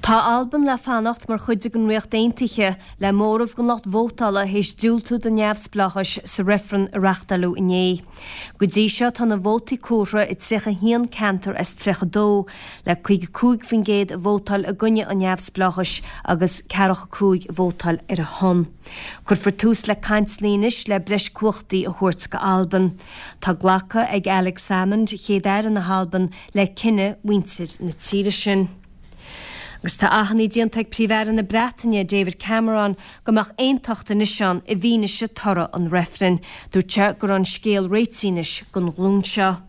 Tá Albain le fanacht mar chuid den Ríocht Aontaithe, le móramh den lucht vótála théis diúltú don neamhspleáchas sa reifreann a reachtáileadh inné. Go dtí seo tá na vótaí comhairthe i 31 ceantar as 32, le 55% ag vótáil i gcoinne an neamhspleáchais agus 45 ag vótáil ar a shon. Cuirfear tús le cainteanna anois le breis cumhachtaí a thabhairt go Albain. Tá glactha ag Alex Salmond, Chéad-Aire na hAlban, le cinneadh mhuintir na tíre sin. Agus tá achainí déanta ag Príomh-Aire na Breataine, David Cameron, go mbeadh aontacht anois ann i bhfianaise toradh an reifrinn. Dúirt sé go raibh an scéal réitithe anois don ghlúin seo.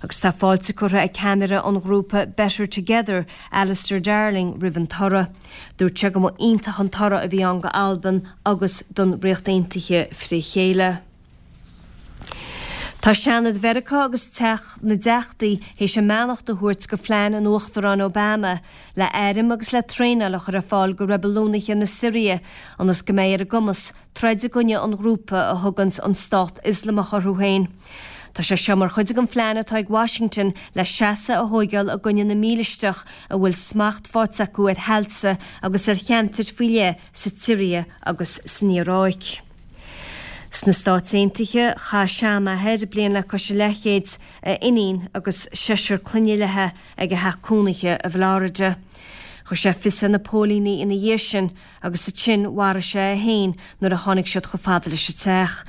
Agus tá fáilte curtha ag ceannaire an ghrúpa Better Together, Alistair Darling, roimh an toradh. Dúirt sé go mba iontach an toradh a bhí ann go Albain agus don Ríocht Aontaithe fré chéile. Tá Seanad Mheiriceá agus Teach na dTeachtaí théis a mbeannacht a thabhairt go phlean an Uachtaráin Obama le airm agus le traenáil a chur ar fáil go reibiliúnaithe na Siria ionas go mbeidh ar a gcumas troid i gcoinne an ghrúpa a thuganns an Stát Ioslamach orthu féin. Tá sé seo mar chuid den phlean atá ag Washington le seasamh a thóigeáil i gcoinne na mílisteach a bhfuil smacht faighte acu ar thailte agus ar cheantair faoi leith sa tSiria agus san Iaráic. Sna Stáit Aontaithe, chaith seanathair, bliain le cois a leathchéid, a iníon agus seisear clainne léi ag a theach cónaithe i bhFlorida. Chuir sé fios ar na póilíní ina dhiaidh sin agus ansin mharaigh sé é féin nuair a tháinig siad chomh fada leis an teach.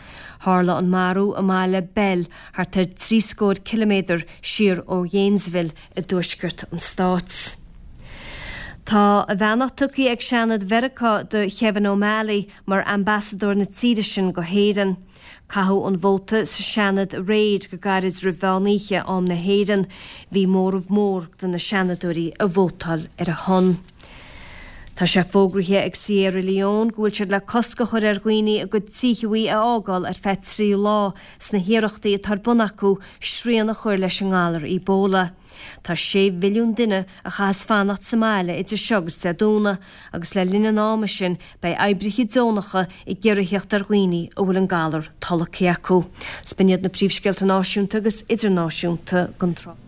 Tharla an marú i mbaile Bell, thart ar thrí scór ciliméadar siar ó Ghainesville i dtuaisceart an stáit. Tá a bheannacht tugtha ag Seanad Mheiriceá do Kevin O'Malley mar ambasadóir na tíre sin go hÉireann. Caitheadh an vóta sa Seanad aréir go gairid roimh mheán oíche, am na hÉireann. Bhí móramh mór de na Seanadóirí a vótáil ar a shon. Tá sé fógraithe ag Sierra Leone go bhfuil siad le cosc a chur ar dhaoine a gcuid tithe a fhágáil ar feadh 3 lá sna hiarrachtaí atá ar bun acu srian a chur leis an ngalar Ebola. Tá 6 mhilliún duine a chaithfeas fanacht sa mbaile idir seo agus Dé Domhnaigh agus le linn an ama sin beidh oibrithe deonacha ag iarraidh theacht ar dhaoine a bhfuil an galar tolgtha acu. 'S b'in iad na príomhscéalta náisiúnta agus idirnáisiúnta don tráth.